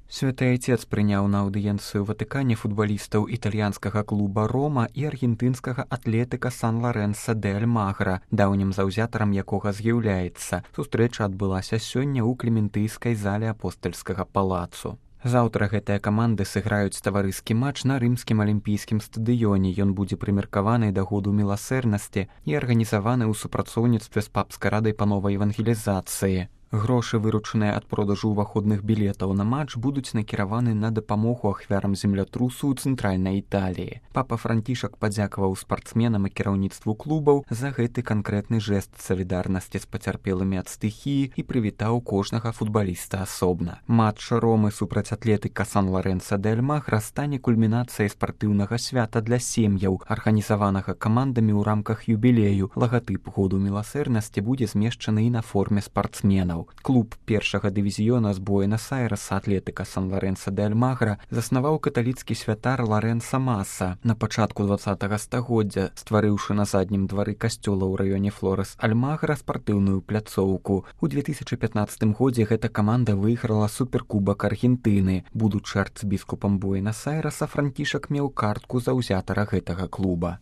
Святы Айцец прыняў на аўдыенцыю Ватыкане футбалістаў італьянскага клуба «Рома» і аргентынскага атлетыка Сан-Ларэнса де Альмагра, даўнім заўзятарам якога з'яўляецца. Сустрэча адбылася сёння ў клементыйскай зале апостальскага палацу. Заўтра гэтыя каманды сыграюць таварыскі матч на рымскім алімпійскім стадыёне. Ён будзе прымеркаваны да году міласэрнасці і арганізаваны ў супрацоўніцтве з папскай радай па новай евангелізацыі. Грошы, выручаныя ад продажу ўваходных білетаў на матч, будуць накіраваны на дапамогу ахвярам землятрусу ў цэнтральнай Італіі. Папа Францішак падзякаваў спартсменам і кіраўніцтву клубаў за гэты канкрэтны жэст салідарнасці з пацярпелымі ад стыхіі і прывітаў кожнага футбаліста асобна. Матч Ромы супраць атлетыка Сан-Ларэнса де Альмагра стане кульмінацыяй спартыўнага свята для сем'яў, арганізаванага камандамі ў рамках юбілею. Лагатып году міласэрнасці будзе змешчаны і на форме спартсменаў. Клуб першага дывізіёна з Буэнас-Айрэса атлетыка Сан-Ларэнса де Альмагра заснаваў каталіцкі святар Ларэнса Маса на пачатку 20-го стагоддзя, стварыўшы на заднім двары касцёла ў раёне Флорес-Альмагра спартыўную пляцоўку. У 2015 годзе гэта каманда выйграла суперкубак Аргентыны. Будучы арцыбіскупам Буэнас-Айрэса, Францішак меў картку заўзятара гэтага клуба.